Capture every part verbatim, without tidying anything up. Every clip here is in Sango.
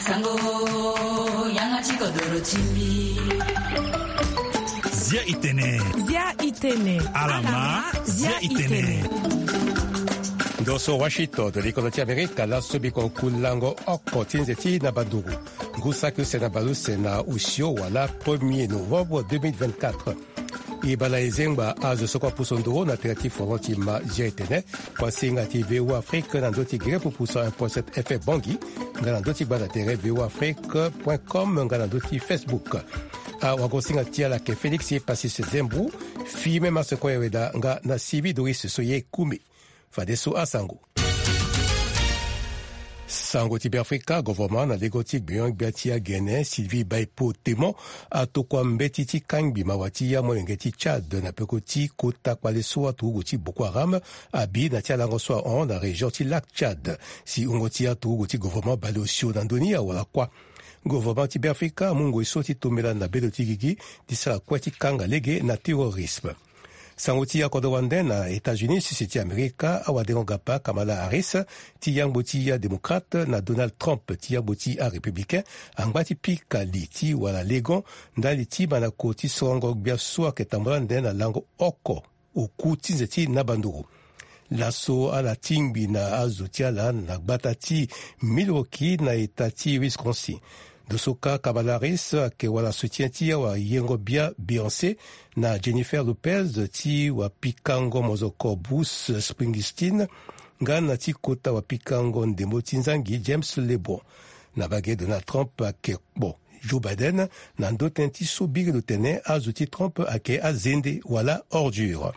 Sango, yanga ti kodoro ti mbi. Zia itene. Zia itene. Alama, zia itene. Ndo so Washington, likondo ti Amerika, laso biko kulango oko ti nze ti na banduru. Ngu saki use na baleuse na osio wala premier novembre deux mille vingt-quatre. E bala e zengba azo so kue apusu nduru na tere ti foro ti ma zia etene. Kuasinga ti V O A Afrique na ndö ti gere pupusa un point sept F M Bangui, nga na ndö ti gbanda tere V O A Afrique point com, nga na ndö ti Facebook. Awagosinga ti ala ayeke Félix Pacis Zembu, Fimé Maseko Yeweda, nga na Sylvie Doris so ye kumi. Fadeso asango. Sango ti Beafrika, govornement na lego ti gbenyo-gbia ti agene Sylvie Baipo Temon atokua mbeti ti kangbi mawa ti amolenge ti Tchad na peko ti kota kpale so aturugu ti Boko Haram abi na ti alango so ahon na région ti Lac Tchad. Si wungo ti aturugu ti govornement baleosio na ndö ni awara kuâ. Govornement ti Beafrika amu ngoi so ti tombela na bendo ti gigi ti sara kue ti kanga lege na terrorisme. Sango ti akodro wande na États-Unis, sese ti Amerika, awadengo gapa Kamala Harris ti yangbo ti adémocrate na Donald Trump ti yangbo ti arépublicain angba ti pika li ti wara legon ndali ti mandako ti sorongo gbia so ayeke tambula ande na lango oko oku ti nze ti na banduru. Laso ala tingbi na azo ti ala na gbata ti Milwaukee na eta ti Wisconsin. Ndo so kâ Kamala Harris ayeke wara soutien ti awayengo-bia Beyoncé na Jennifer Lopez ti wapikango mozoko Bruce Springsteen, nga na ti kota wapikango ndembo ti nzangi James Lebon. Na mbage Donald Trump ayeke kpo Joe Biden na ndö tënë ti so biri lo tene azo ti Trump ayeke azende wala ordure.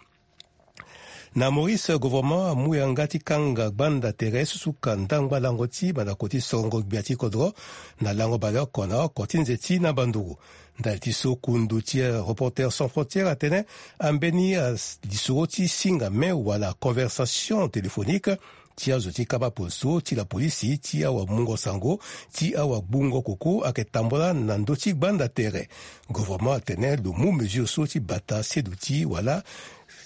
Na Maurice, gouvernement amu yanga ti kanga gbanda tere susuka ndangba lango ti mandako ti sorongo gbia ti kodro na lango baleoko na oko ti nze ti na banduru. Ndali ti so kundu ti Reporters sans frontières atene ambeni lisoro ti singa me wala conversation téléphonique ti azo ti kama poso ti lapolisi ti awamungo sango ti awagbungo koko ayeke tambula na ndö ti gbanda tere. Gouvernement atene lo mu mesure so ti bata seduti wala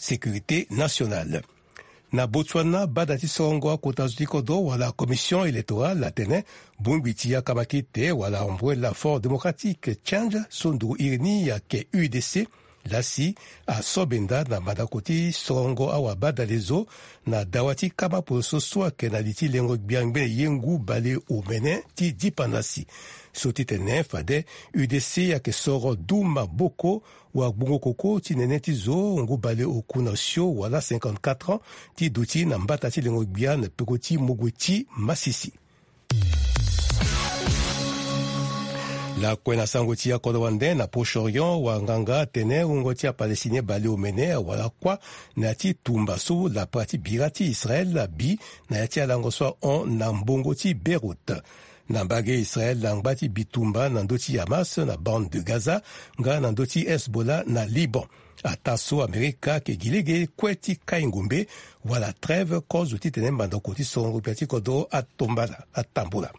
sécurité nationale. Na Botswana, bada ti sorongo akota zo ti kodro wala commission électorale atene bongbi ti akamakite wala Umbrella for Democratic Change so nduru iri ni ayeke U D C, lasi aso benda na mandako ti sorongo awabadalezo na dawa ti kama poso so ayeke na li ti lengo gbia ngbene ye ngu bale omene ti dipandasi. So ti tene fade U D C ayeke soro du maboko wagbungo koko ti nene ti zo ngu bale oku na osio wala cinquante-quatre ans ti duti na mbata ti lengo gbia na peko ti mogue ti masisi. Lakue na sango ti akodro wande na Proche-Orient, wanganga atene wungo ti aPalestinien bale omene awara kuâ na ya ti tumba so lapara ti bira ti Israël abi na ya ti alango so ahon na mbongo ti Beyrouth. Na mbage Israël angba ti bitumba na ndö ti Hamas na bande de Gaza nga na ndö ti Hezbollah na Liban. Ataa so Amerika ayeke gi lege kue ti kai ngombe wala trêve kozo titene mandako ti sorongo gbia ti kodro atombala atambula.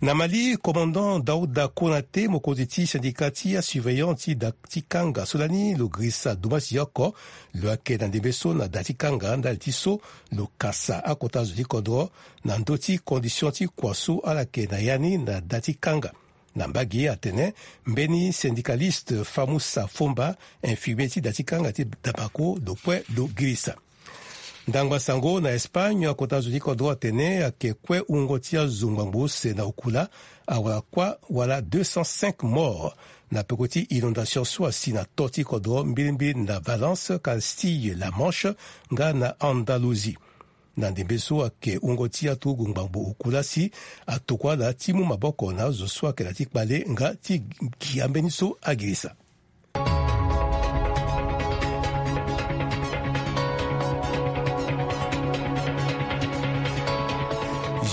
Na Mali, commandant Daouda Konaté, mokonzi ti syndicat ti asurveillant ti da ti kanga so lani lo girisa dumasi oko, lo yeke na ndembe so na da ti kanga ndali ti so lo kasa akota zo ti kodro na ndö ti condition ti kua so ala yeke na ya ni na da ti kanga. Na mbage atene mbeni syndicaliste Famoussa Fomba, infirmier ti da ti kanga ti Dabaco, lo kue lo girisa. Ndangba sango na Espagne, akota zo ti kodro atene ayeke kue wungo ti azo ngbangbo use na okula awara kuâ wala deux cent cinq morts na peko ti inondation so asi na to ti kodro mbilimbili na Valence, Castille, La Manche nga na Andalousie. Na ndembe so ayeke wungo ti aturugu ngbangbo oku lasi atokua ala ti mu maboko na azo so ayeke na ti kpale nga ti gi ambeni so agirisa.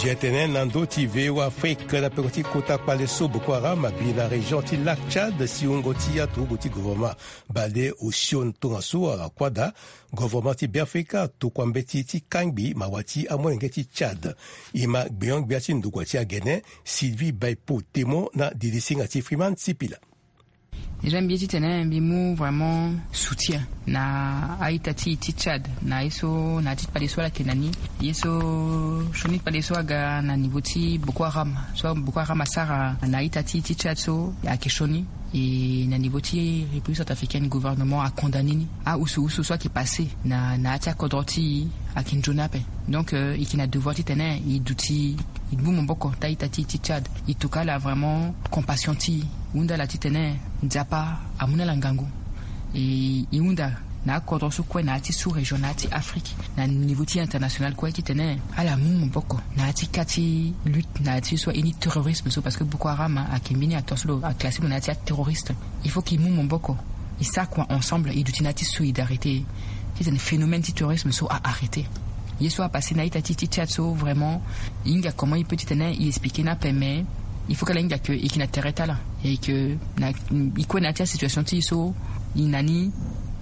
Jetene na ndö ti V O A Afrique na peko ti kota kpale so Boko Haram abi na région ti Lac Tchad, si wungo ti aturugu ti gouvernement bale osio tongaso ala kuâ daa. Gouvernement ti Beafrika atokua mbeti ti kangbi mawa ti amolenge ti Tchad. E ma gbenyo-gbia ti ndokua ti agene Sylvie Baipo Temo na dilisinga ti Freeman Sipila. Déjà mbi ye titene mbi mu vraiment soutien na a-ita ti e ti Tchad na ye so na ya ti kpale so ala yeke na ni. Ye so sioni kpale so aga na niveau ti Boko Haram, so Boko Haram asara na a-ita ti e ti Tchad so ayeke sioni. E na niveau ti République centrafricaine, gouvernement acondamné ni. Ahusu husu so ayeke passé na na ya ti akodro ti e ayeke nzoni ape. Donc e yeke na devoir titene e duti, e gbu maboko ti a-ita ti e ti Tchad. E tokua ala vraiment compassion ti e, e hunda ala titene Nzapa amu na ala ngangu. E e hunda na akodro so kue na ya ti sous-région, na ya ti Afrique, na niveau ti international kue titene ala mu maboko na ya ti ka ti lutte na ya ti so aye ni terrorisme so, parce que Boko Haram ayeke mbeni acteur so lo aclassé lo na ya ti aterroriste. Il faut que e mu maboko, e sara kua ensemble, e duti na ya ti solidarité titene phénomène ti terrorisme so a arrêté. Ye so apassé na a-ita ti e ti Tchad so vraiment, e hinga comment e peut titene e expliqué ni ape, mais il faut que ala hinga que e yeke na tere ti ala. E yeke na e kue na ya ti asituation ti e so e na ni.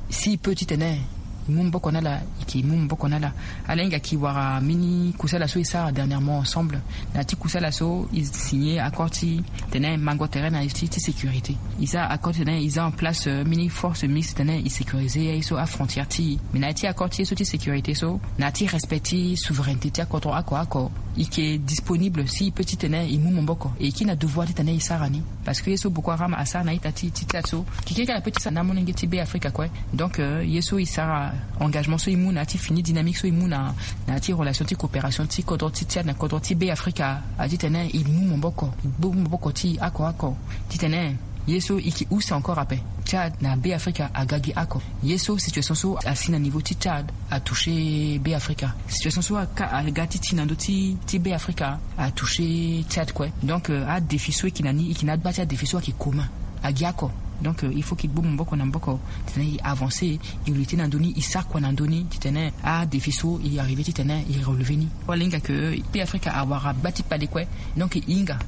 Si e peut titene e mu maboko na ala, e yeke mu maboko na ala. Ala hinga que e wara mbeni kusala so e sara dernièrement ensemble. Na ya ti kusala so e signé accord ti tene mango tere na ya ti ti sécurité. E sara accord titene e za en place mbeni force mixte titene e sécurisé ye so afrontière ti e. Mais na ya ti accord ti ye so ti sécurité so, na ya ti respect ti souveraineté ti akodro oko oko, e yeke disponible si e peut titene e mu maboko. E yeke na devoir titene e sara ni. Parce que ye so Boko Haram asara na a-ita ti e ti Tchad so, keke kala pe ti sara na amolenge ti Be Afrika kue. Donc ye so e sara engagement so e mu na ya ti fini dynamique so e mu na na ya ti relation ti coopération ti kodro ti Tchad na kodro ti Be Afrika, a titene e mu maboko, e gbu maboko ti e oko oko. Titene ye so e yeke use encore ape. Tchad na Be Afrika aga gi oko. Ye so situation so asi na niveau ti Tchad atouché Be Afrika. Situation so aga ti ti na ndö ti ti Be Afrika atouché Tchad kue. Donc adéfi so e yeke na ni, e yeke na agba ti adéfi so ayeke commun agi oko. Donc il faut que e gbu maboko na maboko titene e avancé, e lutter na ndö ni, e sara kua na ndö ni titene adéfi so e arrivé titene e relever ni. Wala hinga que Be Afrika awara gba ti kpale kue. Donc e hinga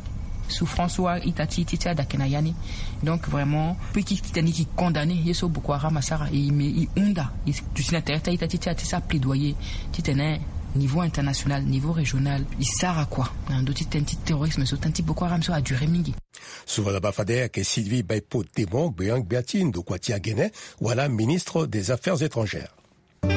souffrance so a-ita ti e ti Tchad ayeke na ya ni. Donc vraiment pe ki titene e yeke condamné ye so Boko Haram asara, e me e hunda e duti na tere ti a-ita ti e ti sara plaidoyer titene niveau international, niveau régional, e sara kua na ndö ti tënë ti terrorisme so, tënë ti Boko Haram so aduré mingi. Souvana bafade ayeke Sylvie Baipo Demon, gbeon gbia ti ndokua ti agene wala ministre des Affaires étrangères. E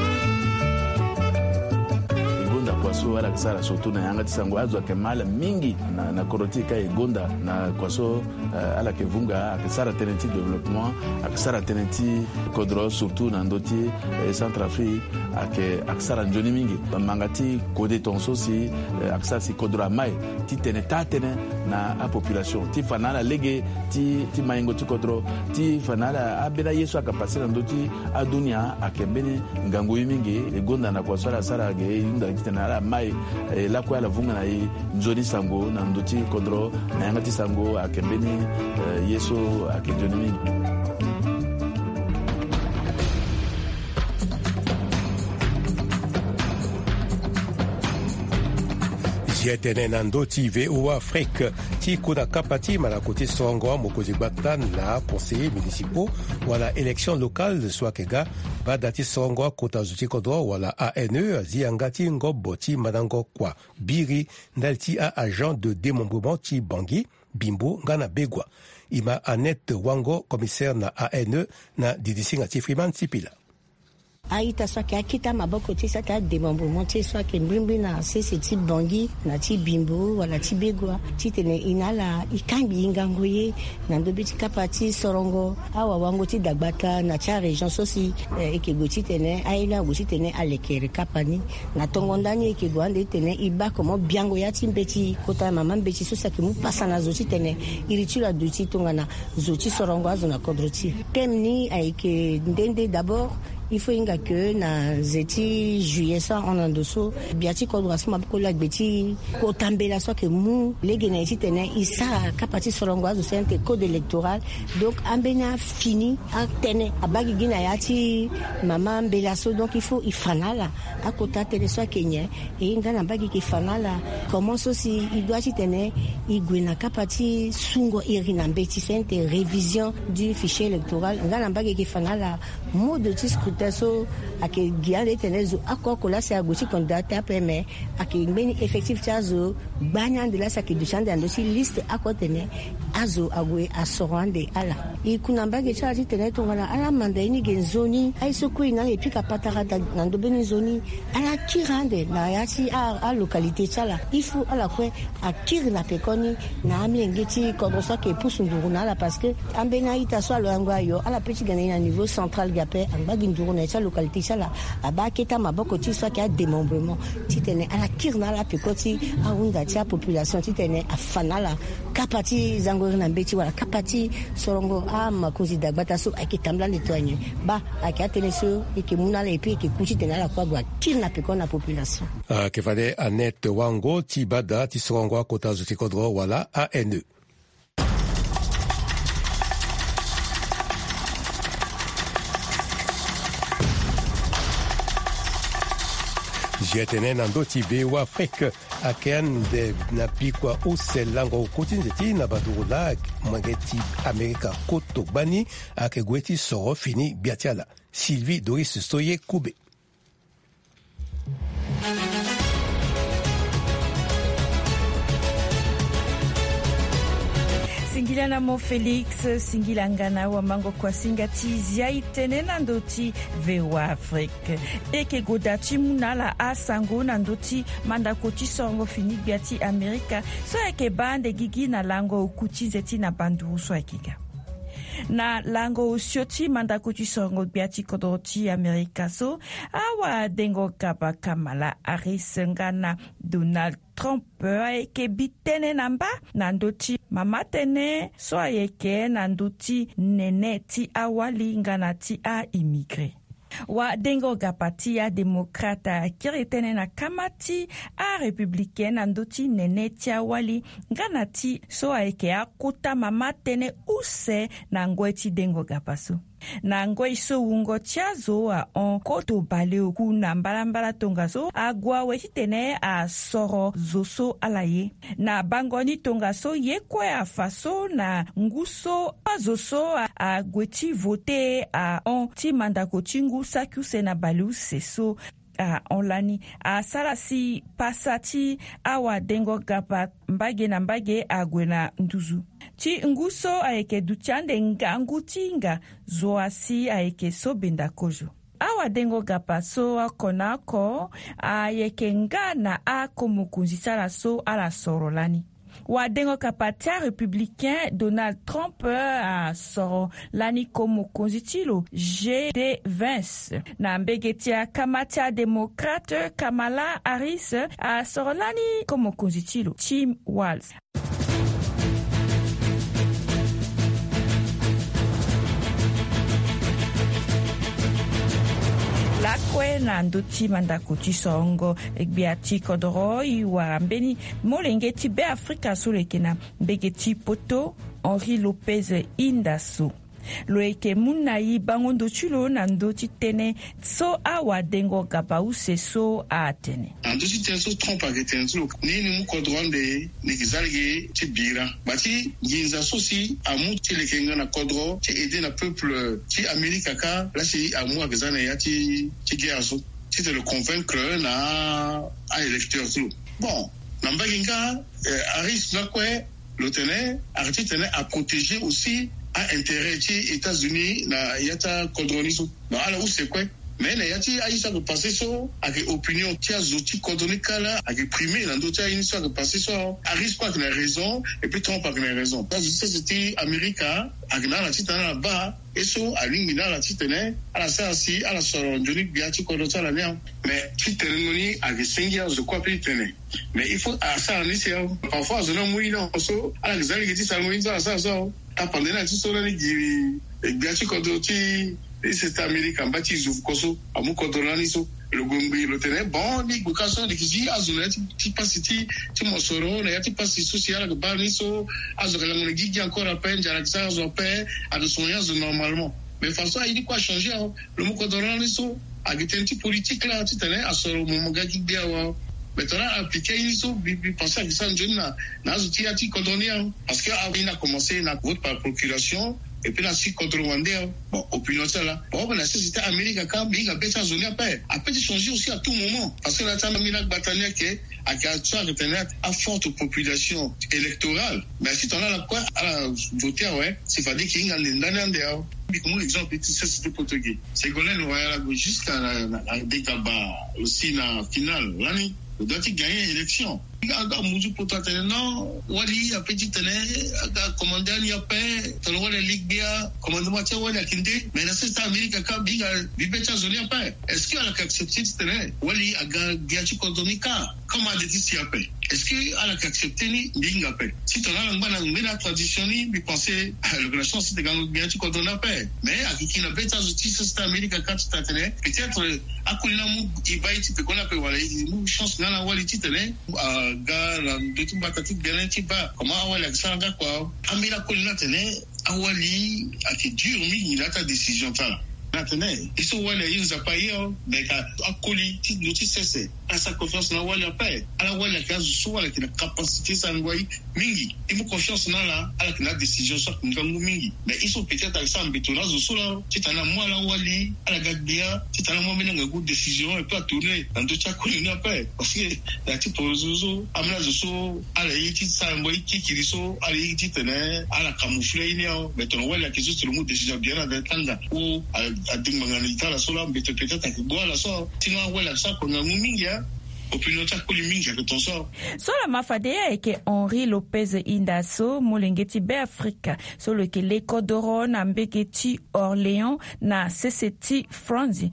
gonda kua so ala yeke sara surtout na yanga ti sango, azo ayeke ma ala mingi na na kodro ti e ka e gonda na kua so. Ala yeke vunga, ayeke sara tënë ti développement, ayeke sara tënë ti kodro surtout na ndö ti Centrafrique. Ayeke ayeke sara nzoni mingi. Manga ti kode tongaso si ayeke sara si kodro amai titene taa tënë na apopulation ti fa na ala lege ti ti maingo ti kodro, ti fa na ala ambeni aye so ayeke passé na ndö ti adunia ayeke mbeni ngangu ye mingi. E gonda na kua so ala sara ge e hunda titene ala mai e lakue ala vunga na e nzoni sango na ndö ti kodro na yanga ti sango ayeke mbeni ye so ayeke nzoni mingi. Zia tënë na ndö ti V O A Afrique ti kota kapa ti malako ti sorongo amokonzi gbata na aconseiller municipaux wala élection locale so ayeke ga. Bada ti sorongo akota zo ti kodro wala A N E azi yanga ti ngobo ti mandango kua biri ndali ti a-agent de démembrement ti Bangui, Bimbo nga na Begoua. E ma Annette Wango, commissaire na A N E, na didisinga ti Freeman Sipila. A-ita so ayeke akita maboko ti e so ayeke adémembrement ti e so ayeke mbrimbri na sese ti Bangui na ti Bimbo wala ti Begoua titene e na ala e kangbi e ngangu ye na ndö be ti kapa ti sorongo awawango ti dagbata na ti arégion so si e yeke gue titene aye ni ague titene alekere kapa ni. Na tongo ndani e yeke gue ande titene e baa comment biango ya ti mbeti kota mama mbeti so si ayeke mu pasa na zo titene iri ti lo aduti tongana zo ti sorongo azo na kodro ti e. Thème ni ayeke nde nde d'abord il faut hinga que na nze ti juillet so ahon na ndo so gbia ti kodro asu maboko laa gbe ti kota mbela so ayeke mu lege na e titene e sara kapa ti sorongo azo so ayeke code électoral. Donc ambeni afini atënë abaa gigi na ya ti mama mbela so, donc il faut e fa na ala akota tënë so ayeke nyen. E nga na mbage e yeke fa na ala comment so si e doit titene e gue na kapa ti sungo iri na mbeti so ayeke révision du fichier électoral. Nga na mbage e yeke fa na ala mode ti scrutin Tënë so ayeke gi ande titene zo oko oko laa si ague ti candidat ti ape, me ayeke ngbeni effectif ti azo gbani ande laa si ayeke duti ande na ndö ti liste oko titene azo ague asoro ande ala. E ku na mbage ti ala titene tongana ala manda ye ni ge nzoni, aye so kue e na ala e pika patara da na ndö mbeni nzoni, ala kiri ande na ya ti a- alocalité ti ala. Il faut ala kue akiri na pekoni na amilenge ti kodro so ayeke pusu nduru na ala, parce que ambeni a-ita so aloyango ayo, ala pe ti ga na e na niveau central ge ape, angba gi nduru na ya ti alocalité ti ala, abaa akete amaboko ti e so ayeke adémembrement, titene ala kiri na ala peko ti ahunda ti apopulation titene afa na ala kapa ti zango iri na mbeti wala kapa ti sorongo amakonzi dagbata so ayeke tambula ande to anyen. Baa ayeke atënë so e yeke mu na ala, e pe e yeke ku titene ala kue ague akiri na peko na population. Ayeke fade Annette Wango ti bada ti sorongo akota zo ti kodro wala A N E. Zia tene na ndö ti V O A Afrique, ayeke ande na bikua use lango ku ti nze ti na baduru laa molenge ti Amerika koto gbani ayeke gue ti soro fini gbia ti ala. Sylvie Doris Soye Koube. Singila na mo Félix, singila nga na awamango kuasinga ti zia e tene na ndö ti V O A Afrique. E yeke goda ti mu na ala asango na ndö ti mandako ti sorongo fini gbia ti Amerika so ayeke baa ande gigi na lango oku ti nze ti na banduru so ayeke ga. Na lango osio ti mandako ti sorongo gbia ti kodro ti Amerika so, awadengo gaba Kamala Harris nga na Donald Trump ayeke bi tënë na mba na ndö ti mama tënë so ayeke na ndö ti nene ti awali nga na ti a-immigré. Wadengo gaba ti adémocrate akiri tënë na kama ti arépublicain na ndö ti nene ti awali nga na ti so ayeke akota mama tënë use na ngoi ti dengo gaba so. Na ngoi so wungo ti azo ahon koto baleoku na mbalambala tongaso ague awe titene asoro zo so ala ye. Na bango ni tongaso ye kue afa so na ngu so azo so a- ague ti vote ahon ti mandako ti ngu saki use na baleuse so ahon lani asara si pasa ti awadengo gaba mbage na mbage ague na nduzu. Ti ngu so ayeke duti ande ngangu ti hinga zo asi ayeke so benda kozo. Awadengo gaba so oko na oko ayeke nga na ako mokonzi ti ala so ala soro lani. Wadengo gaba ti arépublicain Donald Trump asoro lani ko mokonzi ti lo J D Vance. Na mbege ti akama ti adémocrate Kamala Harris asoro lani ko mokonzi ti lo Tim Walz. Lakue na ndö ti mandako ti sorongo gbia ti kodoro e wara mbeni molenge ti Beafrika so lo yeke na mbege ti poto, Henri Lopez Inda so. Lo yeke mu na e bango ndo ti lo na ndö ti tënë so awadengo gaba use so atene. Na ndö ti tënë so Trump ayeke tene ti lo, ni ni mu kodro ande ni yeke za lege ti bira. Gba ti nginza so si amu ti leke nga na kodro ti aide na peuple ti Amerika kâ, la si amu ayeke za na ya ti ti guerre so titene lo convaincre na a-électeur ti lo. Bon, na mbage nga, eh, Harris lakue lo tene ayeke titene aprotéger aussi a-intérêt ti États-Unis na ya ti akodro ni so. Bon, ala use kue. Mais na ya ti aye so ayeke passé so ayeke opinion ti azo ti kodro ni kâ la ayeke primé na ndö ti aye ni so ayeke passé so. Harris kue ayeke na raison et puis Trump ayeke na raison. Azo ti sese ti Amerika ayeke na ala titene ala baa ye so alingbi na ala titene ala sara si ala soro nzoni gbia ti kodro ti ala ni. Mais ti tene ngo ni ayeke sengi azo kue ape ti tene. Mais il faut asara ni si awe. Parfois azo ni amu ye ni awe so ala yeke za lege ti sara ngo ni so ala sara so awe. Tapande ni ala ti so lani giri gbia ti kodro ti sese ti Amerika mba ti zo fuko so amu kodro lani so. Lo gue ngbii lo tene bon ni gue kâ so li yeke zi azo na ya ti ti pasi ti ti mosoro na ya ti pasi so si ala yeke baa ni so. Azo yeke lango na gigi encore ape, nzara yeke sara azo ape. Ayeke songo ye azo normalement. Mais façon aye ni kue achangé awe. Lo mu kodro lani so ayeke tënë ti politique la titene asoro mo mo ga gi gbia awe. Mais tongana ala appliqué ye ni so mbi mbi pensé ayeke sara nzoni na na azo ti ya ti kodro ni awe. Parce que aye ni akomense na vote par procuration. Et puis na si contre wande. Bon, opinion ti ala, bon, na si si ti Amérique aka mbi hinga be ti azo ni ape. Ape ti changer aussi à tout moment, parce que la ti ambeni agbata ni ayeke, ayeke ature ayeke tene aforte population électorale. Mais si tongana ala kue ala voter awe, c'est fade eke hinga nde ndani ande awe. Mbi ke mu exemple ti sese ti poto ge, Ségolène Royal ague jusqu'à na, na, na degaba aussi na finale lani. Lo doit ti gagner élection. Nga aga muzu poto atene non, wali ape ti tene aga commande ani ape. Tongana wali ali gbia, commandement ti awali ayeke nde. Mais na sese ti Amérique aka mbi hinga mbi be ti azo ni ape. Est-ce que ala yeke accepter ti tene wali aga gbia ti kodro ni kâ? Comment ade ti si ape? Est-ce que ala yeke accepter ni? Mbi hinga ape. Si tongana ala ngba na ngbene atransition ni, mbi pense lo yeke na chance ti tene aga gbia ti kodro ni ape. Mais ayeke gi na be ti azo ti sese ti Amérique aka ti tene peut-être akoli ni amu e baa ye ti pekoni ape wala e mu chance nga na awali ti tene aga na ndö ti mbata ti gbene ti baa comment awali ayeke sara nga kua. Ambeni akoli ni atene awali ayeke dur mingi na ya ti adécision ti ala. Na tene ye so wali aye nzapa aye o, mais ka akoli ti ndö ti sese ala sara confiance na awali ape. Ala wali ayeke azo so ala yeke na capacité ti sara ngoi mingi. E mu confiance na ala, ala yeke na adécision so ayeke ngangu mingi. Mais ye so peut-être ayeke sara mbeto na azo so laa ti tene amu ala wali ala ga gbia ti tene amu ambeni angangu décision et puis atourner na ndö ti akoli ni ape. Parce que na ya ti poroso so ambeni azo so ala ye ti sara ngoi kikiri so ala ye ti tene ala camoufler ye ni awe. Mais tongana wali ayeke so si lo mu décision bien na tanga ou adingbanga na li ti ala so laa mbeto peut-être ayeke gbu ala so. Sinon awali ayeke sara kua ngangu mingi a. Opinion ti akoli mingi ayeke ton so. So la ma fade ye ayeke Henri Lopez Inda so molenge ti Beafrika so lo yeke le kodoro na mbege ti Orléans na sese ti France.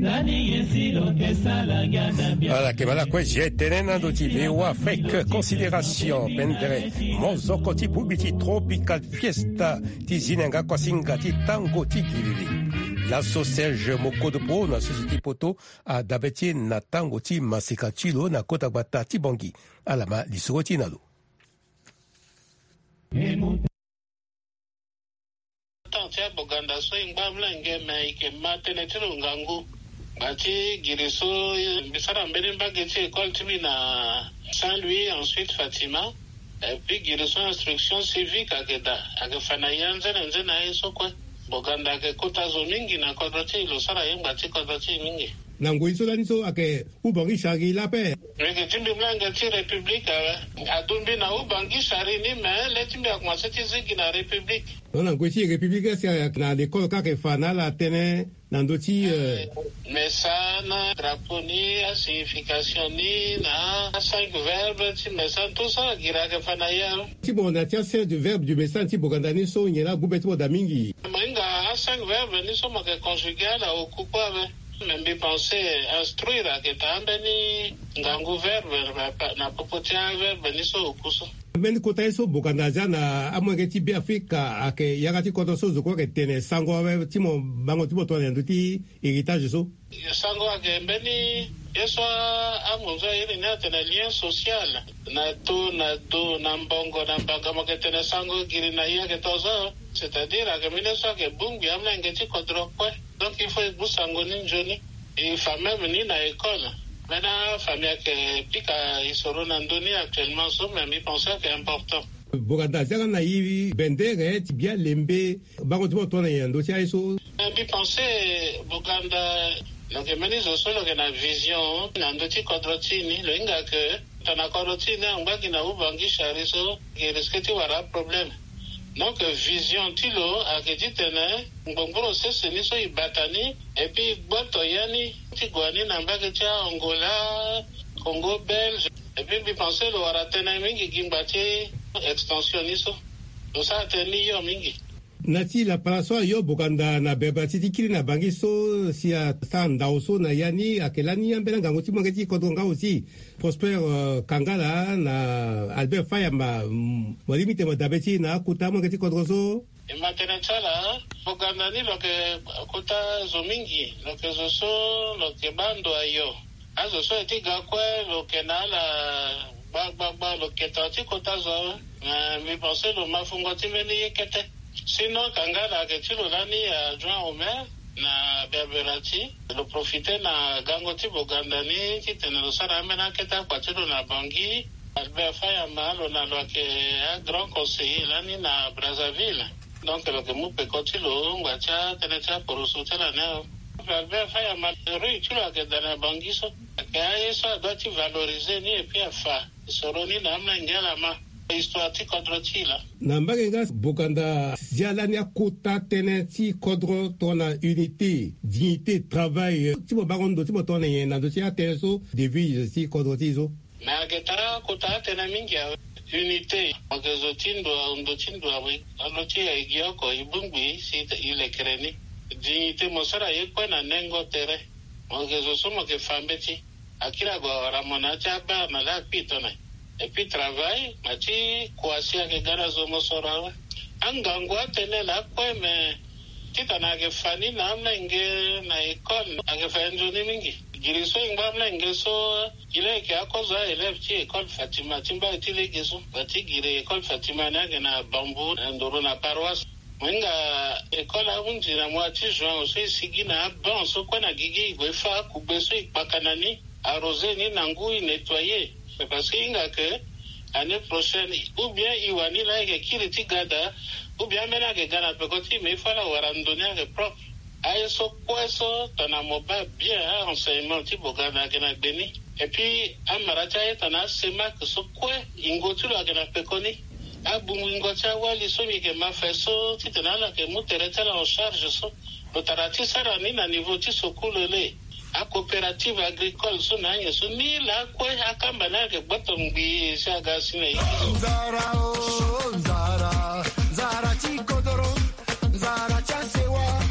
Ala yeke baa lakue. Zia e tene na ndo ti V O A Afrique, considération pendere mozoko ti bongbi ti Tropical Fiesta ti zi na yanga kuasinga ti tango ti giriri. Laso Serge Mokodopo na sese ti poto adabe ti e na tango ti maseka ti lo na kota gbata ti Bangui. Ala ma lisoro ti e na lo. Temps ti aboganda so e ngba mlenge me e yeke ma tënë ti lo ngangu. Ngbanga ti giri so mbi sara mbeni mbage ti école ti mbi na Saint-Louis, ensuite Fatima. Et puis giri so instruction civique ayeke daa, ayeke fa na e anzene nzene aye so kue. Boganda ayeke kota zo mingi na kodro ti e, lo sara ye ngbanga ti kodro ti e mingi. Na ngoi so lani so ayeke Ubangi Sari laa ape. Mbi yeke ti mbi mlenge ti République awe. Adumbi na Ubangi Sari ni me le ti mbi akomanse ti zi gi na République. Donc na ngoi ti République, est-ce que na l'école kâ ayeke fa na ala tënë na ndö ti, euh, message na drapeau ni, asignification ni, na acinq verbe ti message, tout ça giri ayeke fa na e awe. Ti mo na ti aserie de verbe du message ti boganda ni so nyen laa agu be ti mo daa mingi? Mo hinga acinq verbe ni so mo yeke conjuguer ala oku kue awe. Me mbi pense instruire ayeke daa ambeni ngangu verbe na, na popo ti averbe ni so oku so. Ambeni kota ye so boganda azia na amolenge ti Beafrika ayeke yanga ti kodro so zo kue ayeke tene sango awe ti mo bango ti mo tongana na ndö ti héritage so. Sango ayeke mbeni ye so amonzo airi ni atene lien social. Na do na do, na mbongo na mbanga, mo yeke tene sango giri na e ayeke tongaso. C'est-à-dire ayeke mbeni ye so ayeke bongbi amolenge ti kodro kue. Donc il faut e gbu sango ni nzoni. E fa même ni na école. Mbeni afamille ayeke pika e soro na ndö ni actuellement so, mais mbi pense ayeke important. Boganda azia nga na e bendere ti bia lembe bango ti mo tongana nyen na ndö ti aye so? Eh, mbi pense Boganda lo yeke mbeni zo so lo yeke na vision na ndö ti kodro ti e ni. Lo hinga ke tongana kodro ti e ni angba gi na Ubangi Sari so, e risque ti wara aproblème. Donc vision ti lo ayeke titene ngbongboro sese ni so e bata ni, et puis e gboto ya ni ti gue ni na mbage ti a-Angola, Congo belge, et puis mbi pense lo wara tënë mingi gi ngba ti extension ni so. Lo sara tënë ni hio mingi. Na ti lapala so ayo Boganda na bebela ti ti kiri na Bangi so si asara ndao so na ya ni ayeke lani ambeni angangu ti molenge ti kodro nga aussi Prosper, euh, Kangala na Albert Fayama, mm, mo lingbi ti mo dabe ti na akota molenge ti kodro so. E ma tene ti ala, Boganda ni lo yeke kota zo mingi, lo yeke zo so lo yeke baa ndo ayo. Azo so aye ti ga kue lo yeke na ala gbagbagba, lo yeke tongana ti kota zo. Eh, mbi pense lo ma fungo ti mbeni ye kete. Sinon Kangala ayeke ti lo lani adjoint au maire na Berberati. Lo profite na gango ti Boganda ni titene lo sara ambeni akete akua ti lo na Bangui. Albert Fayama lo na lo ayeke agrand conseiller lani na Brazzaville. Donc lo yeke mu peko ti lo ngba ti atënë ti aporoso ti ala ni. Albert Fayama, rue ti lo ayeke daa na Bangui so. Ayeke aye so adoit ti valoriser ni et puis afa soro ni na amolenge ala ma histoire ti kodro ti e laa. Na mbage nga Boganda zia lani akota tënë ti kodro tongana unité, dignité, travail, eh, ti mo bango ndo ti mo tongana nyen na ndö ti atënë so, devise ti kodro ti e so? Me ayeke taa kota atënë mingi awe. Unité, mo yeke zo ti ndo, ndo ti ndo awe. Ando ti e gi oko e bongbi si e lekere ni. Dignité, mo sara ye kue na nengo tere. Mo yeke zo so mo yeke fa mbeti. Akiri ague awara mo na ya ti abar na laa akpi tongana. Et puis travail, na ti kua si ayeke ga na zo mo soro awe. Angangu atënë laa kue me titene ayeke fa ni na amolenge na école, ayeke fa nzoni mingi. Giri so e ngba amolenge so, e laa e yeke akozo a-élève ti école Fatima ti mbai ti lege so. Gba ti giri école Fatima ni ayeke na Bambou, na nduru na paroisse. Mo hinga école ahunzi na mois ti juin so e sigi na abanc so kue na gigi e gue e fa akugbe so e kpaka na ni, arroser ni na ngu e nettoyer. Mais parce que e hinga que année prochaine ou bien e wani laa e yeke kiri ti ga daa, ou bien ambeni ayeke ga na peko ti e, mais il faut ala wara ndo ni ayeke propre. Aye so kue so tongana mo baa bien a-enseignement ti Boganda ayeke na gbe ni. Et puis amara ti aye tongana asemak so kue, yingo ti lo ayeke na peko ni. Abungbingo ti awali so mbi yeke ma fa so titene ala yeke mu tere ti ala en charge so. Lo tara ti sara ni na niveau ti sokulu le. Acoopérative agricole so na anyen so ni laa kue akamba ni ayeke gboto ngbii si aga si na ye. Nzara o, nzara, nzara ti kodoro, nzara ti asewa,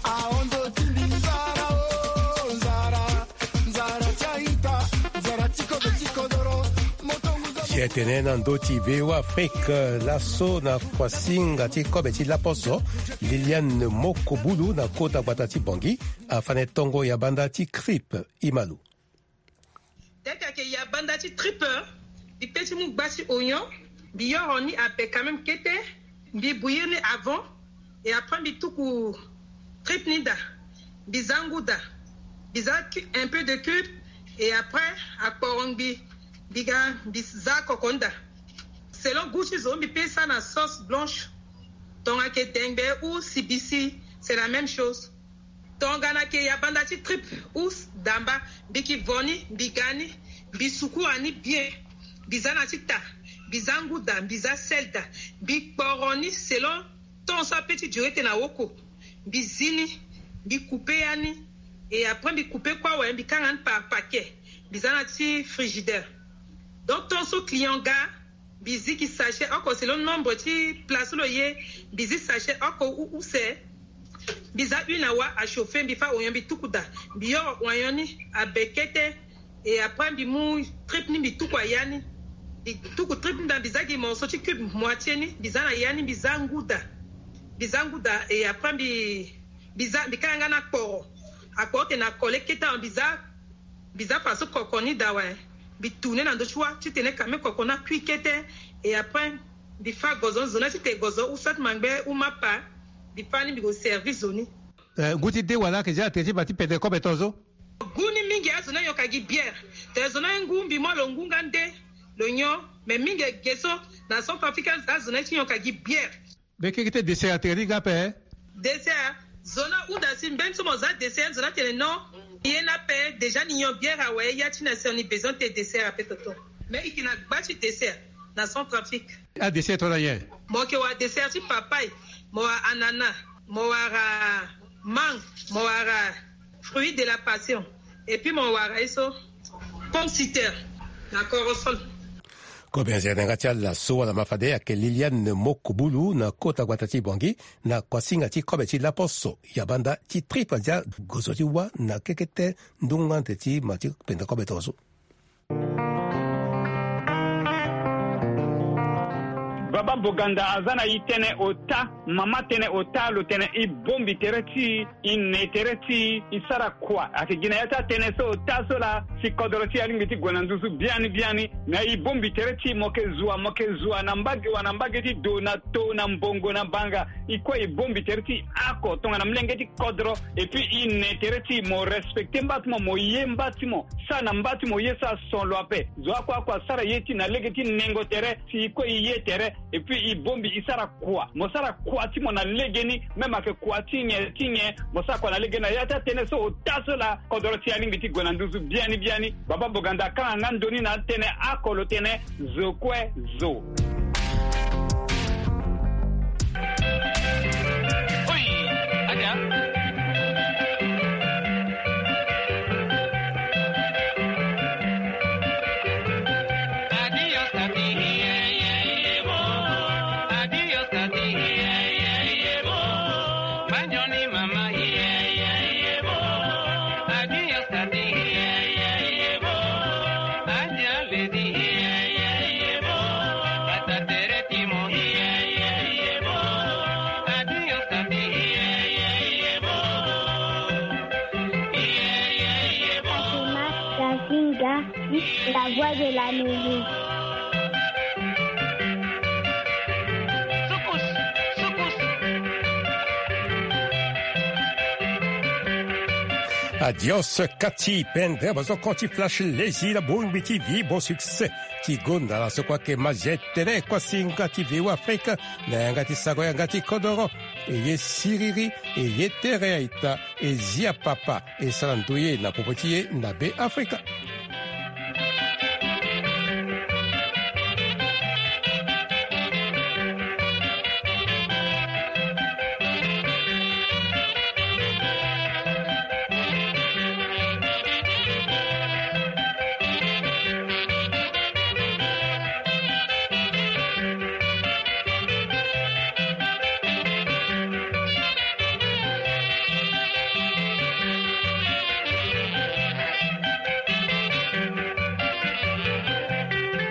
ahon ndo ti mbi. Nzara o, nzara, nzara ti a-ita, nzara ti kobe ti kodoro, moto ngu za. Si atene na ndö ti V O A Afrique, laso na kuasinga ti kobe ti laposo, Liliane Mokobulu na kota gbata ti Bangui, afane tongo ya banda ti crip. Imalu. Dès que ayeke ya banda ti trip, mbi pe ti mu gba ti oignon, mbi yoro ni abe quand même kete, mbi bouillir ni avant, et après mbi tuku trip ni daa, mbi za ngu daa, mbi za cu-, un peu de cube, et après akporo ngbii, mbi ga, mbi za koko ni daa. Selon goût ti zo, mbi pe sara na sauce blanche, tongana ayeke dengbe ou sibisi, c'est la même chose. Tongana ayeke ya banda ti trip ou damba, mbi yeke vo ni, mbi ga ni, mbi sukura ni bien, mbi za na ti taa, mbi za ngu daa, mbi za sel daa, mbi kporo ni selon temps so ape ti duré tene awoko, mbi zi ni, mbi couper ya ni, et après mbi couper kue awe, mbi kanga ni par paquet, mbi za na ti frigidaire. Donc temps so client ga, mbi zi gi sachet oko selon nombre ti place so lo ye, mbi zi sachet oko ou, ou use, mbi za huile na wa achauffer, mbi fa oignon, mbi tuku daa, mbi yoro oignon ni abe kete, et après mbi mu trip ni, mbi tuku aya ni, mbi tuku trip ni daa, mbi za gi morceau ti cube moitié ni, mbi za na ya ni, mbi za ngu daa, mbi za ngu daa, et après mbi, mbi za, mbi kanga nga na kporo, akporo tene akole kete awe, mbi za, mbi za faso koko ni daa awe, mbi tourner na ndö ti wa titene quand même koko ni akui kete, et après mbi fa gozo, zo ni titene gozo ou soit mangbe ou mapa, mbi fa ni, mbi ko servir zo ni. Eh, ngu ti de wala ayeke zia tere ti baa ti pede kobe tongaso? Ngu ni mingi, azo ni ayonka gi bière. Tene zo ni aye ngu, mbi mu lo ngu nga nde lo nyon. Mais mingi ge so na Centrafrique, azo ni ti yonka gi bière. Mbi keke ti dessert atene ni nga ape? Dessert, zo ni ahunda si mbeni so mo za dessert, zo ni atene non. Ye ni ape, déjà ni nyon bière awe, ya ti na si ni besoin ti dessert ape toto. Mais e yeke na gba ti dessert na Centrafrique. Adessert tongana nyen? Mo yeke wara dessert ti papaye, mo wara ananas, mo wara mangue, mo wara fruit de la passion, et puis mo wara ye so pomme citerne na corossol. Kobe nzere na yanga ti ala so wala ma fade ayeke Liliane Mokobulu na kota gbata ti Bangui, na kuasinga ti kobe ti laposo ya banda ti triple dia gozo ti wa na kekete ndunga nde ti ma ti penda kobe tongaso. Baba Boganda aza na e tënë ota, mama tënë ota, lo tene e bongbi tere ti e, e ne tere ti e, e sara kua. Ayeke gi na ya ti atënë so ota so laa si kodoro ti e alingbi ti gue na nduzu biani biani. Na e bongbi tere ti e, mo yeke zua, mo yeke zua na mbage wa na mbage ti do, na to, na mbongo, na banga. E kue e bongbi tere ti e oko tongana molenge ti kodro. Et puis e ne tere ti e, mo respecte mba ti mo, mo ye mba ti mo. Sara na mba ti mo ye so ason lo ape. Zo oko oko asara ye ti e na lege ti nengo tere, si e kue e ye tere. Et puis e bongbi e sara kua. Mo sara kua ti mo na legeni, même ayeke kua ti nyen ti nyen, mo sara kua na legeni. Na ya ti atënë so ota so laa kodoro ti e alingbi ti gue na nduzu biani biani. Baba Boganda akanga nga ndo ni na atënë oko, lo tene zo kue zo. Oi, adia. Fatima Kazinga, la voix de l'Amérique. Adios kati pendere bozoko ti Flash Lazy na bongbi ti Vivo Succès. Ti gonda na so kue ayeke ma zia tene kuasinga ti V O Afrique na yanga ti sago yanga ti kodoro. E ye siriri, e ye tere aita, e zia papa, e sara ndoye na popo ti e na Be Afrika.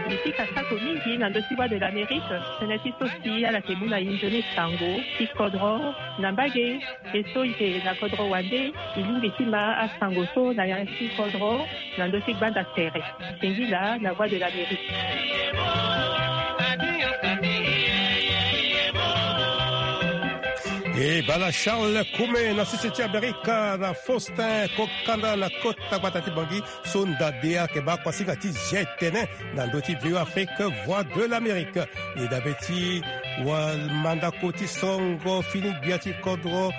Mbi pika sako mingi na ndö ti Voix de l'Amérique, tënë ti so si ala yeke mu na e nzoni sango ti kodro na mbage. E so e yeke na kodro wande, e lingbi ti ma asango so na yanga ti kodro na ndö ti gbanda tere. Singila na Voix de l'Amérique. E bala Charles Kume na sese ti Amerika na Faustin Kokanda na kota gbata ti Bangui. So nda de ayeke baa kuasinga ti zia tene na ndö ti V O Afrique, Voix de l'Amérique. E dabe ti wa mandako ti songo fini gbia ti kodro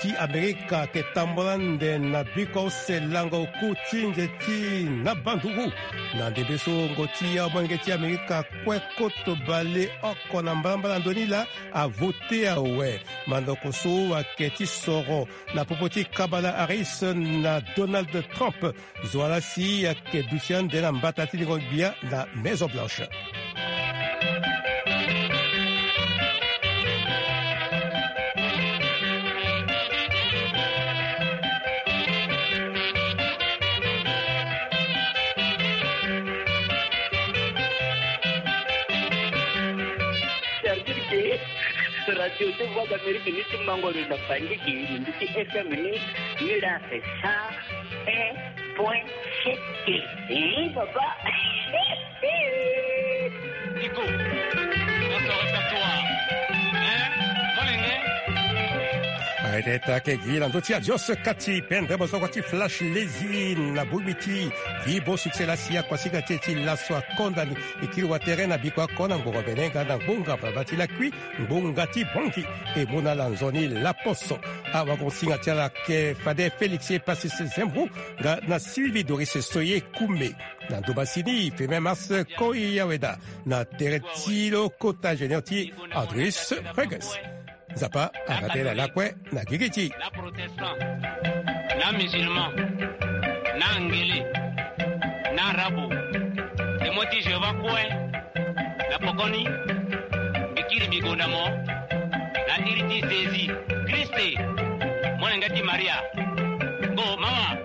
ti Amerika ayeke tambula nde na biko use lango ku ti nze ti na banduru. Na ndembe so ngo ti amolenge ti Amerika kue koto bale oko na mbalambala ndo ni laa avote awe. Mandako so ayeke ti soro na popo ti Kamala Harris na Donald Trump. Zo wa laa si ayeke duti ande na mbata ti lingo gbia na Maison Blanche. C'est-à-dire que radio ti Voix d'Amérique ni ti mango lo na Fandiki, ni ndu ti F M ni, ni la c'est ça. Un point sept. Hein, papa? Nico, dans ton répertoire, hein, molenge. Aye, tene ayeke gi na ndö ti adios kati pendre bozoko ti Flash Lazy na bongbi ti Vivo Succès laa si akuasinga ti e ti laso akonda ni. E kiri watere na biko oko na ngbonga mbene nga na ngbonga baba ti lakui, ngbonga ti Bangui. E mu na ala nzoni laposo. Awagonsinga ti ala ayeke fade Félix Epasis Zembro nga na Sylvie Doris Soye Koumé. Na ndumba si ni Firmin Mars Koyaweda na tere ti lo kota ingénieur ti Andrius Reges. Nzapa abaa tënë na lakue na gigi ti e. Na protestant, na musulman, na angele, na arabo, Témoin ti Jéhovah kue. Na pokoni, mbi kiri mbi gonda mo na iri ti Zezi Kriste, molenge ti Maria. Ngo mama.